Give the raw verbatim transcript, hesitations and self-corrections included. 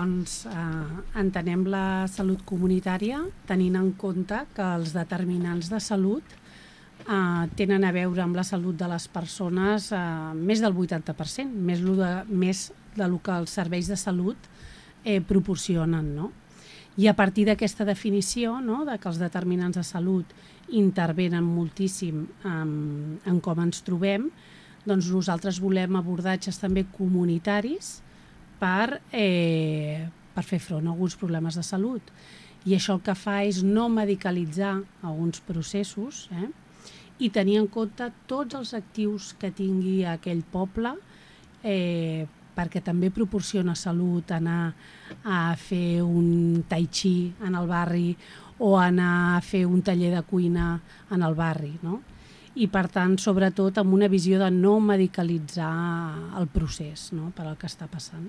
Doncs eh, entenem la salut comunitària tenint en compte que els determinants de salut eh, tenen a veure amb la salut de les persones eh, més del vuitanta per cent, més, lo de, més del que els serveis de salut eh, proporcionen, no? I a partir d'aquesta definició, no, de que els determinants de salut intervenen moltíssim en, en com ens trobem, doncs nosaltres volem abordatges també comunitaris per, eh, per fer front a alguns problemes de salut. I això el que fa és no medicalitzar alguns processos eh, i tenir en compte tots els actius que tingui aquell poble, eh, perquè també proporciona salut anar a fer un tai chi en el barri o anar a fer un taller de cuina en el barri, no? I per tant, sobretot amb una visió de no medicalitzar el procés, no?, per al que està passant.